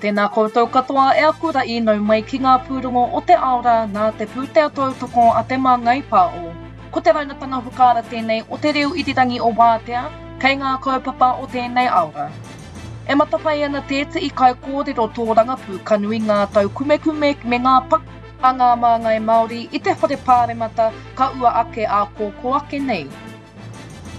Tēnā koutou katoa e aku ra'i nau mai ki ngā pūrongo o te ao rā nā te pūtea tautoko a Te Māngai Pāo. Ko te raunatanga whakaara tēnei o te reo irirangi o Wātea kei ngā kaupapa o tēnei ao rā. E matapae ana tētehi kaikōrero tōrangapū ka nui ngā taukumekume me ngā pakanga a ngā māngai Māori i te whare pāremata ka ua ake ā kōkō ake nei.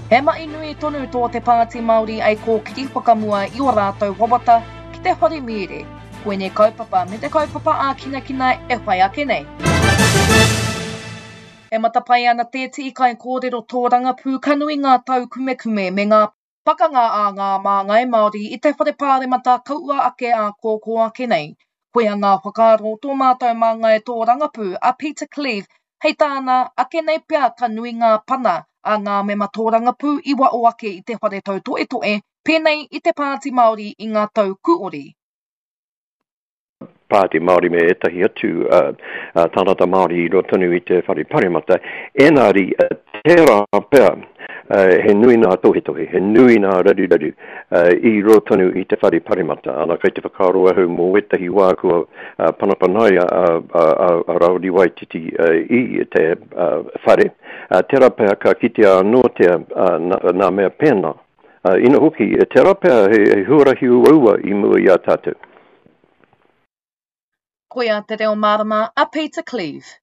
He mahi nui tonu tō te Pāti Māori ei kōkiri whakamua i ō rātou wawata ki te whare mīere. Koinei kaupapa me te kaupapa ākinakina e whai ake nei. E matapae ana tētehi kaikōrero tōrangapū ka nui ngā taukumekume me ngā pakanga a ngā māngai Māori i te whare pāremata ka ua ake ā kōkō ake nei. Koia ngā whakaaro o tō mātou māngai tōrangapū a Peter Cleave Hei tāna, ake nei pea ka nui ngā pana a ngā mema tōrangapū i waho ake i te whare tautoetoe, pēnei i te Pāti Māori i ngā tau kūori. Pāti Māori me ētahi atu tāngata Māori i roto tonu i te whare paremata, engari tērā pea he nui ngā tohetohe, he nui ngā raruraru i roto tonu i te whare paremata. Ana, kei te whakaaro ahau mō ētahi wā kua panapanaia a Rāwiri Waititi i te whare, tērā pea ka kitea anōtia ngā mea pēnā. Ina hoki, tērā pea he huarahi uaua i mua i a tātou. Koia te reo mārama a Peter Cleave.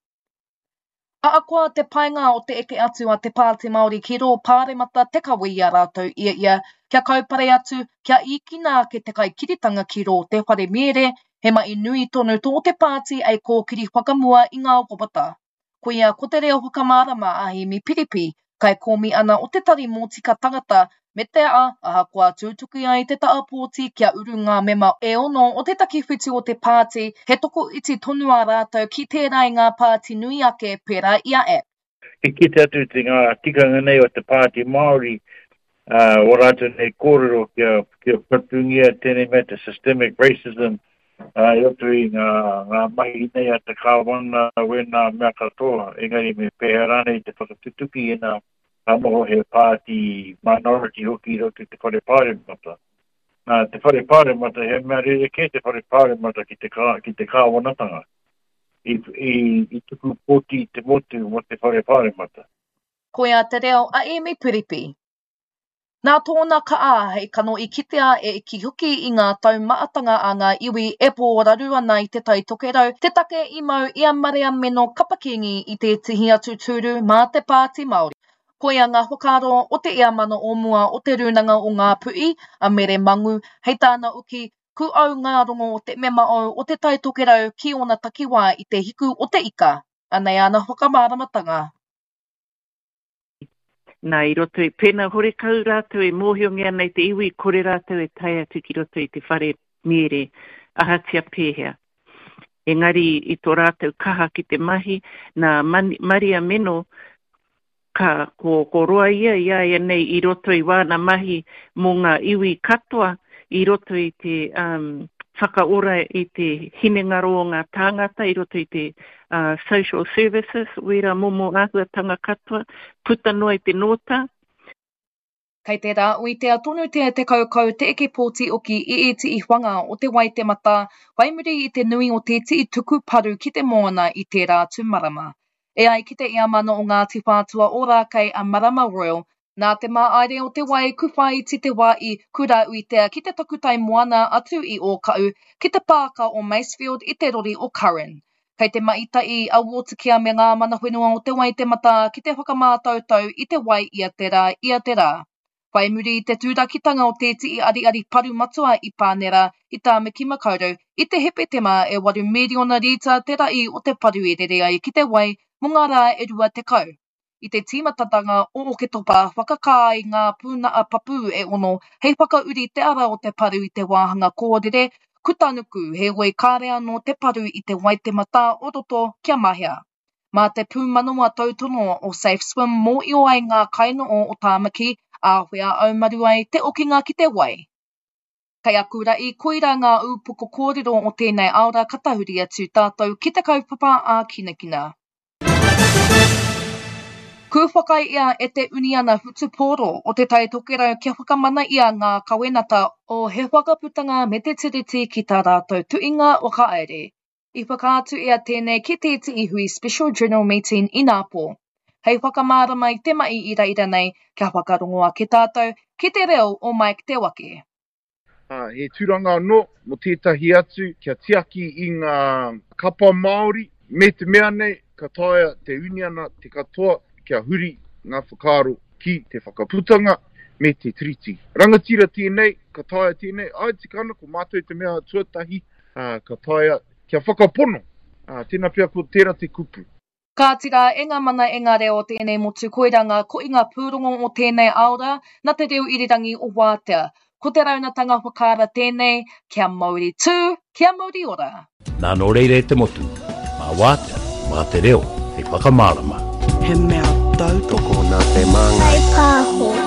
Ahakoa te painga o te eke atu a Te Pāti Māori ki rō Pāremata te kawe i a rātou ia ia, kia kaupare atu, kia īkina ake te kaikiritanga ki rō te whare mīere, he mahi nui tonu tō te pāti ei kōkiri whakamua i ngā wawata. Koia ko te reo whakamārama a Hēmi Piripi, kaikōmihana o te Tari Mōtika Tangata, me te aha, ahakoa tūtuki ai te taha pōti kia uru ngā mema e ono o te takiwhitu o te pāti, he tokoiti tonu ā rātou ki tērā i ngā pāti nui ake pērā i a act. I kite atu te ngā tikanga nei o te Pāti Māori, ā, ō rātou nei kōrero kia, kia patungia tēnei mea te systemic racism, ā, i roto i ngā, ngā mahi nei a te Kāwana, wēnā mea katoa, engari me pēhea rānei te whakatutuki ina ka noho he pāti minority hoki i roto i te Whare Pāremata. Nā, te Whare Pāremata, he mea rerekē te Whare Pāremata ki te, kā, ki te kāwanatanga. I, i, i tuku pōti te motu mō te Whare Pāremata. Koia te reo a Emi Piripi. Nā tōna kaha hei kano i kitea e iki hoki i ngā taumahatanga a ngā iwi e pōraru ana i Te Tai Tokerau te take i mau i a Marea Meno Kapa-Kingi i tētehi atu tūru mā te Pāti Māori. Koia ngā whakaaro o te iamana o mua o Te Rūnanga o Ngāpuhi, a Mere Mangu, hei tāna uki, ku au ngā rongo o te mema ou o Te Tai Tokerau ki ōna takiwā i te hiku o te ika. Anei āna whakamāramatanga. Nā, i roto i, pēnā horekau rātou e mōhiongia ana i te iwi, kore rātou e tae atu ki roto i te whare mīere, ahatia pēhea. Engari i tō rātou kaha ki te mahi, nā Maria Meno, ka, ko, ko roa ia i a ia nei i roto i wāna mahi mō ngā iwi katoa i roto i te um, whakaora i te hinengaro o ngā tāngata i roto i te social services, wērā momo āhuatanga katoa, puta noa i te nōta. Kei te rāuitea tonu te te kaukau te eke pōti oki i ētehi whanga o te Waitematā whai muri i te nui o tētehi tuku paru ki te moana i tērā atu marama. E ai ki te iamana o Ngāti Whātua Ōrākei a Marama Royal, Nā te māaere o te wai ku whāiti te wā i Kurauitea ki te takutai moana atu i Ōkaʻu ki te pāka o Masefield i te rori o Curran. Kei te maitaʻi a Watercare me ngā mana whenua o Te Waitematā ki te whakamātautau i te wai ia te rā, ia te rā. Whai muri i te tūrakitanga o tēteʻi ariari paru matua i Pānera i Tāmaki Makaurau i te Hepetema e waru mīriona rīta te raʻi o te paru i rere ai ki te wai mō ngā rā e 20. I te tīmatatanga o Oketopa, whakakā ai ngā pūnaha papū e ono hei whakauri te ara o te paru i te wāhanga kōrere, kutanuku, heoi kāre anō te paru i te Waitematā o roto kia mahea. Mā te pūmanawa tautono o Safe Swim mōio ai ngā kainoho o Tāmaki, āwhea aumaru ai te okinga ki te wai. Kei aku raʻi, koirā ngā ūpoko kōrero o tēnei aora ka tahuri atu tātou ki te kaupapa ākinakina. Ku whakaae ia e te Uniana Whutupōro o Te Tai Tokerau kia whakamana ia ngā kawenata o He Whakaputanga me Te Tiriti ki tā rātou tuinga whakahaere. I whakaatu ia tēnei ki tētehi hui Special General Meeting inapō. Hei whakamārama i te mahi i reira nei kia whakarongo ake tātou ki te reo o Mike Te Wake. Ā, he tūranga anō mō tētahi atu kia tiaki i ngā kapa Māori, me te mea nei ka taea te uniana te katoa kia huri ngā whakaaro ki te whakaputanga me te Tiriti. Rangatira tēnei, ka taea tēnei, āe tika ana ko mātou te mea tuatahi, ā, ka taea kia whakapono, ā, tēnā pea ko tērā te kupu. Kāti rā, e ngā mana e ngā reo o tēnei motu koirā ngā kohinga pūrongo o tēnei aora nā te reo irirangi o Wātea. Ko te raunatanga whakaara tēnei, kia mauri tū, kia mauri ora! Nā nō reira e te motu, mā Wātea, mā te reo hei whakamārama. He mea tautoko nā te Māngai. Pāho.